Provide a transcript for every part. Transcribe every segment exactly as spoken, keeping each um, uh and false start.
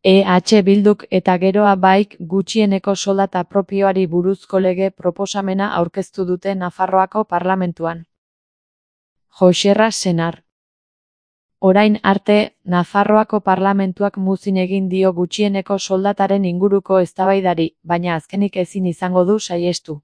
E H Bilduk eta Geroa Baik gutxieneko soldata propioari buruzko lege proposamena aurkeztu dute Nafarroako parlamentuan. Joxerra Senar. Orain arte, Nafarroako parlamentuak muzin egin dio gutxieneko soldataren inguruko eztabaidari, baina azkenik ezin izango du saihestu.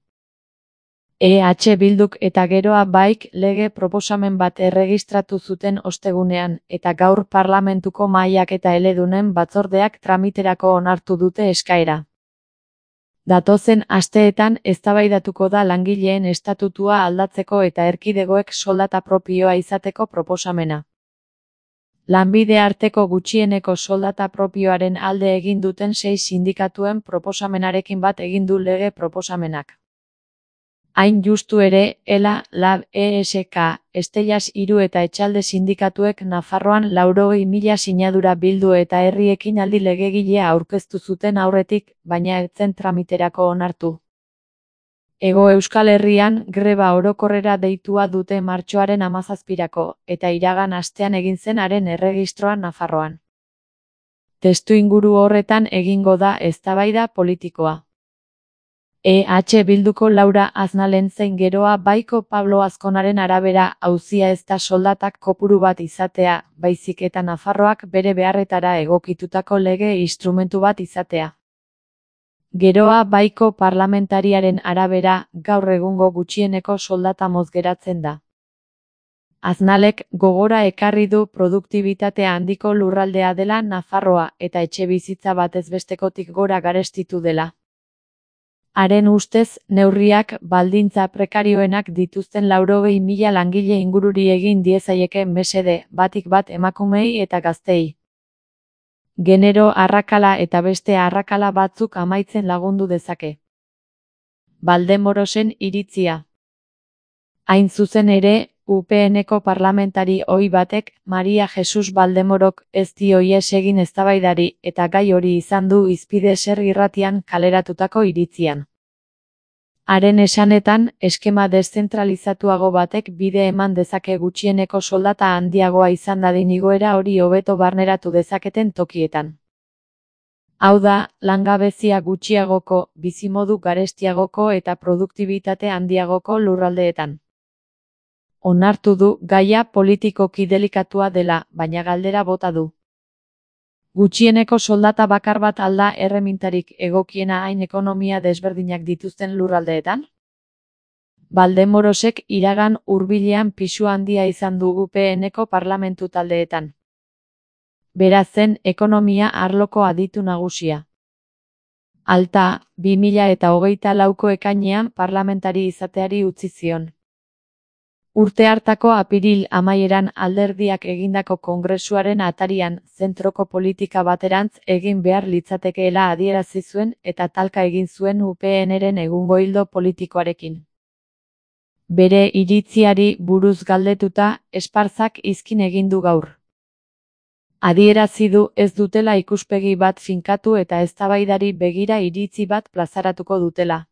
E H Bilduk eta Geroa Baik lege proposamen bat erregistratu zuten ostegunean, eta gaur parlamentuko mahaiak eta eledunen batzordeak tramiterako onartu dute eskaera. Datozen asteetan eztabaidatuko da langileen estatutua aldatzeko eta erkidegoek soldata propioa izateko proposamena. Lanbide arteko gutxieneko soldata propioaren alde egin duten sei sindikatuen proposamenarekin bat egin du lege proposamenak. Hain justu ere, ELA, LAB, E S K, Estellas hiru eta Etxalde sindikatuek Nafarroan laurogei mila sinadura bildu eta herri ekinaldi legegilea aurkeztu zuten aurretik, baina ez zen tramiterako onartu. Hego Euskal Herrian greba orokorrera deitua dute martxoaren hamazazpirako, eta iragan astean egin zen haren erregistroan Nafarroan. Testuinguru horretan egingo da eztabaida politikoa. E H Bilduko Laura Aznalen zein Geroa Baiko Pablo Azkonaren arabera auzia ez da soldatak kopuru bat izatea, baizik eta Nafarroak bere beharretara egokitutako lege instrumentu bat izatea. Geroa Baiko parlamentariaren arabera, gaur egungo gutxieneko soldata moz geratzen da. Aznalek gogora ekarri du produktibitate handiko lurraldea dela Nafarroa eta etxebizitza batezbestekotik gora garestitu dela. Haren ustez, neurriak baldintza prekarioenak dituzten laurogei mila langile ingururi egin diezaieke mesede, batik bat emakumei eta gaztei. Genero arrakala eta beste arrakala batzuk amaitzen lagundu dezake. Valdemorosen iritzia. Hain zuzen ere, U P Nko parlamentari ohi batek, Maria Jesus Valdemorok, ez dio ihes egin eztabaidari, eta gai hori izan du hizpide Ser irratian kaleratutako iritzian. Haren esanetan, eskema deszentralizatuago batek bide eman dezake gutxieneko soldata handiagoa izan dadin igoera hori hobeto barneratu dezaketen tokietan. Hau da, langabezia gutxiagoko, bizimodu garestiagoko eta produktibitate handiagoko lurraldeetan. Onartu du gaia politikoki delikatua dela, baina galdera bota du. Gutxieneko soldata bakar bat alda erremintarik egokiena hain ekonomia desberdinak dituzten lurraldeetan? Valdemorosek iragan hurbilean pisu handia izan du U P Nko parlamentu taldeetan. Beraz zen ekonomia arloko aditu nagusia. Alta, bi mila eta hogeita lauko ekainean parlamentari izateari utzi zion. Urte hartako apiril amaieran alderdiak egindako kongresuaren atarian zentroko politika baterantz egin behar litzatekeela adierazi zuen eta talka egin zuen U P Nren egungo ildo politikoarekin. Bere iritziari buruz galdetuta, Esparzak izkin egin du gaur. Adierazi du ez dutela ikuspegi bat finkatu eta eztabaidari begira iritzi bat plazaratuko dutela.